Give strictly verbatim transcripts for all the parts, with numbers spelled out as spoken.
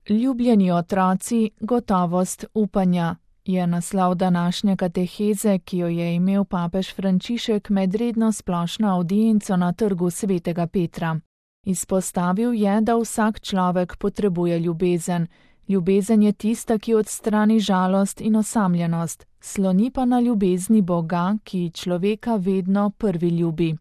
Ljubljeni otroci, gotovost upanja, je naslov današnje kateheze, ki jo je imel papež Frančišek med redno splošno avdienco na trgu svetega Petra. Izpostavil je, da vsak človek potrebuje ljubezen. Ljubezen je tista, ki odstrani žalost in osamljenost, sloni pa na ljubezni Boga, ki človeka vedno prvi ljubi.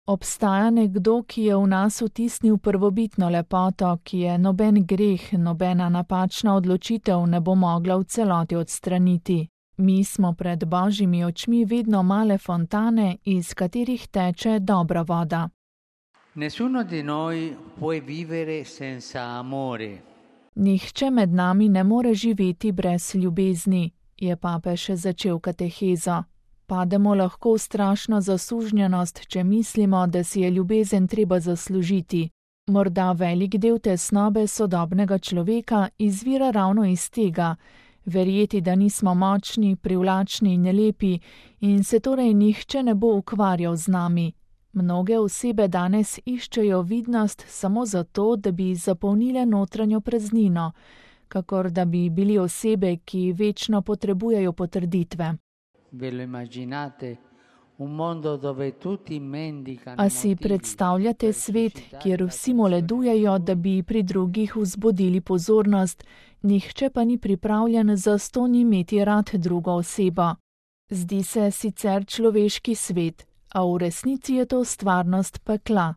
Obstaja nekdo, ki je v nas vtisnil prvobitno lepoto, ki je noben greh, nobena napačna odločitev ne bo mogla v celoti odstraniti. Mi smo pred Božjimi očmi vedno male fontane, iz katerih teče dobra voda. Nessuno di noi può vivere senza amore. Nihče med nami ne more živeti brez ljubezni, je papež začel katehezo. Pademo lahko v strašno zasužnjenost, če mislimo, da si je ljubezen treba zaslužiti. Morda velik del tesnobe sodobnega človeka izvira ravno iz tega, verjeti, da nismo močni, privlačni in lepi in se torej nihče ne bo ukvarjal z nami. Mnoge osebe danes iščejo vidnost samo zato, da bi zapolnile notranjo praznino, kakor da bi bili osebe, ki večno potrebujejo potrditve. A si predstavljate svet, kjer vsi moledujejo, da bi pri drugih vzbudili pozornost, nihče pa ni pripravljen zastonj imeti rad drugo osebo. Zdi se sicer človeški svet, a v resnici je to stvarnost pekla.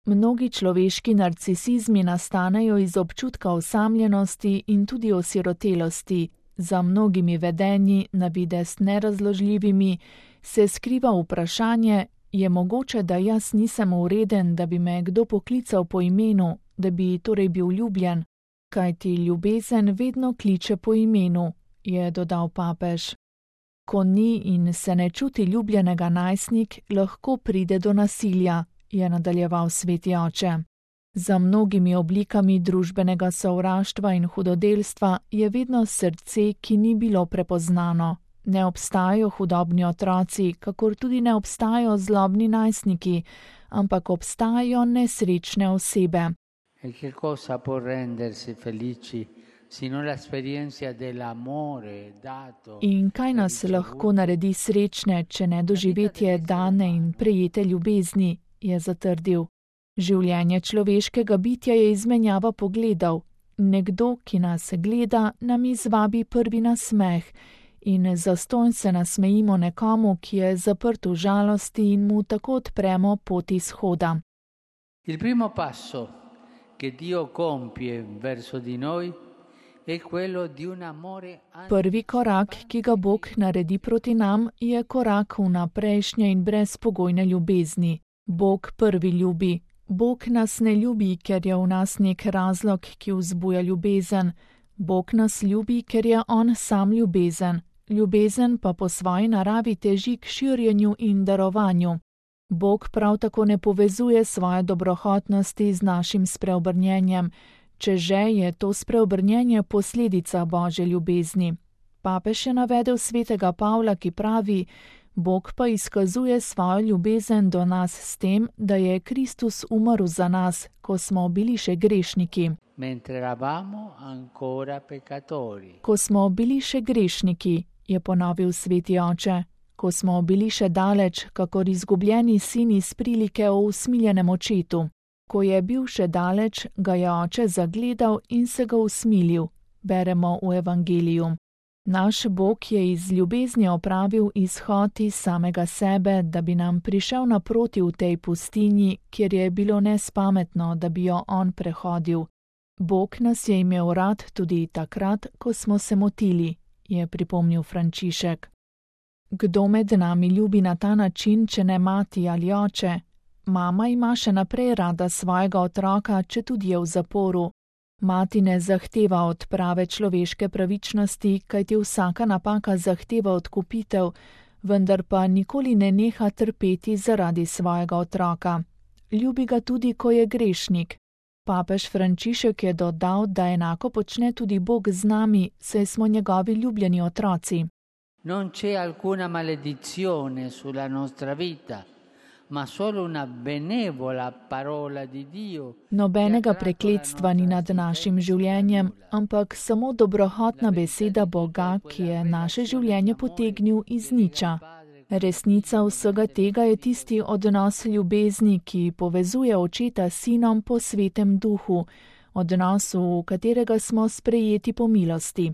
Mnogi človeški narcisizmi nastanejo iz občutka osamljenosti in tudi osirotelosti. Za mnogimi vedenji, na videz nerazložljivimi, se skriva vprašanje, je mogoče, da jaz nisem ureden, da bi me kdo poklical po imenu, da bi torej bil ljubljen, kajti ljubezen vedno kliče po imenu, je dodal papež. Ko ni in se ne čuti ljubljenega najstnik, lahko pride do nasilja, je nadaljeval sveti oče. Za mnogimi oblikami družbenega sovraštva in hudodelstva je vedno srce, ki ni bilo prepoznano. Ne obstajajo hudobni otroci, kakor tudi ne obstajajo zlobni najstniki, ampak obstajajo nesrečne osebe. In kaj nas lahko naredi srečne, če ne doživetje dane in prejete ljubezni, je zatrdil. Življenje človeškega bitja je izmenjava pogledov. Nekdo, ki nas gleda, nam izvabi prvi nasmeh in zastonj se nasmejimo nekomu, ki je zaprt v žalosti in mu tako odpremo pot izhoda. Il primo passo che Dio compie verso di noi è quello di un amore. Prvi korak, ki ga Bog naredi proti nam, je korak v naprejšnje in brezpogojne ljubezni. Bog prvi ljubi. Bog nas ne ljubi, ker je v nas nek razlog, ki vzbuja ljubezen. Bog nas ljubi, ker je On sam ljubezen. Ljubezen pa po svoji naravi teži k širjenju in darovanju. Bog prav tako ne povezuje svoje dobrohotnosti z našim spreobrnjenjem, če že je to spreobrnjenje posledica Božje ljubezni. Papež je navedel svetega Pavla, ki pravi: Bog pa izkazuje svojo ljubezen do nas s tem, da je Kristus umrl za nas, ko smo bili še grešniki. Ko smo bili še grešniki, je ponovil sveti oče, ko smo bili še daleč, kakor izgubljeni sin iz prilike o usmiljenem očetu. Ko je bil še daleč, ga je oče zagledal in se ga usmilil, beremo v evangeliju. Naš Bog je iz ljubezni opravil izhod iz samega sebe, da bi nam prišel naproti v tej pustinji, kjer je bilo nespametno, da bi jo On prehodil. Bog nas je imel rad tudi takrat, ko smo se motili, je pripomnil Frančišek. Kdo med nami ljubi na ta način, če ne mati ali oče? Mama ima še naprej rada svojega otroka, če tudi je v zaporu. Mati ne zahteva odprave človeške pravičnosti, kajti vsaka napaka zahteva odkupitev, vendar pa nikoli ne neha trpeti zaradi svojega otroka. Ljubi ga tudi, ko je grešnik. Papež Frančišek je dodal, da enako počne tudi Bog z nami, saj smo njegovi ljubljeni otroci. Non c'è alcuna maledizione sulla nostra vita, ma solo una benevola parola di Dio. Nobenega prekletstva ni nad našim življenjem, ampak samo dobrohotna beseda Boga, ki je naše življenje potegnil iz niča. Resnica vsega tega je tisti odnos ljubezni, ki povezuje očeta s sinom po svetem duhu, odnosu, v katerega smo sprejeti po milosti.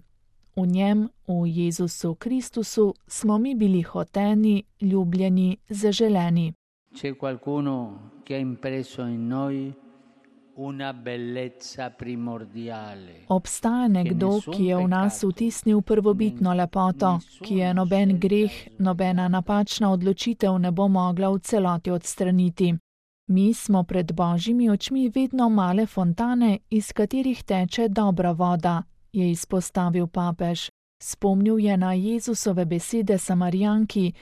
V njem, v Jezusu Kristusu, smo mi bili hoteni, ljubljeni, zaželeni. C'è qualcuno che ha impresso in noi una bellezza primordiale. Obstaja nekdo, ki je v nas vtisnil prvobitno lepoto, ki je noben greh, nobena napačna odločitev ne bo mogla v celoti odstraniti. Mi smo pred Božjimi očmi vedno male fontane, iz katerih teče dobra voda, je izpostavil papež. Spomnil je na Jezusove besede Samarijanki: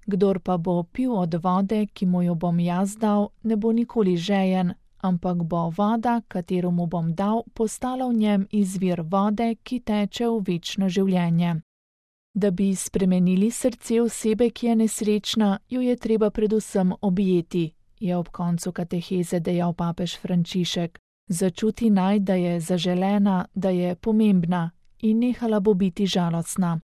kdor pa bo pil od vode, ki mu jo bom jaz dal, ne bo nikoli žejen, ampak bo voda, katero mu bom dal, postala v njem izvir vode, ki teče v večno življenje. Da bi spremenili srce osebe, ki je nesrečna, jo je treba predvsem objeti, je ob koncu kateheze dejal papež Frančišek. Začuti naj, da je zaželena, da je pomembna in nehala bo biti žalostna.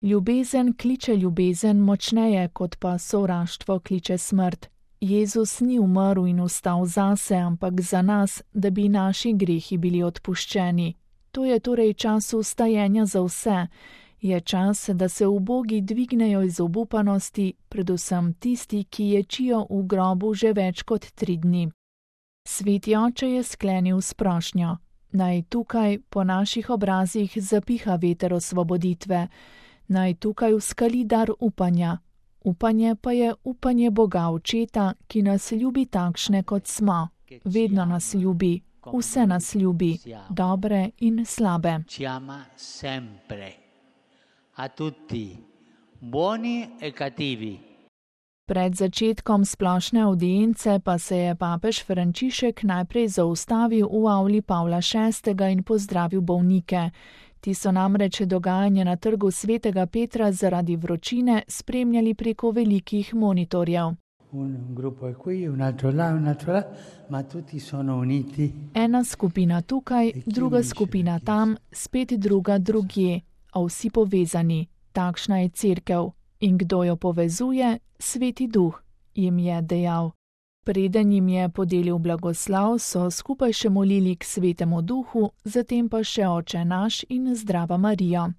Ljubezen kliče ljubezen močneje, kot pa sovraštvo kliče smrt. Jezus ni umrl in vstal zase, ampak za nas, da bi naši grehi bili odpuščeni. To je torej čas vstajenja za vse. Je čas, da se ubogi dvignejo iz obupanosti, predvsem tisti, ki ječijo v grobu že več kot tri dni. Sveti oče je sklenil s prošnjo: naj tukaj po naših obrazih zapiha veter osvoboditve, naj tukaj vskali dar upanja. Upanje pa je upanje Boga Očeta, ki nas ljubi takšne, kot smo. Vedno nas ljubi, vse nas ljubi, dobre in slabe. Ci ama sempre. A tutti, buoni e cattivi. Pred začetkom splošne avdience pa se je papež Frančišek najprej zaustavil v avli Pavla šestega in pozdravil bolnike. Ti so namreč dogajanje na trgu svetega Petra zaradi vročine spremljali preko velikih monitorjev. Ena skupina tukaj, druga skupina tam, spet druga drugje, a vsi povezani. Takšna je cerkev. In kdo jo povezuje? Sveti Duh, jim je dejal. Preden jim je podelil blagoslav, so skupaj še molili k Svetemu Duhu, zatem pa še Oče naš in Zdrava Marija.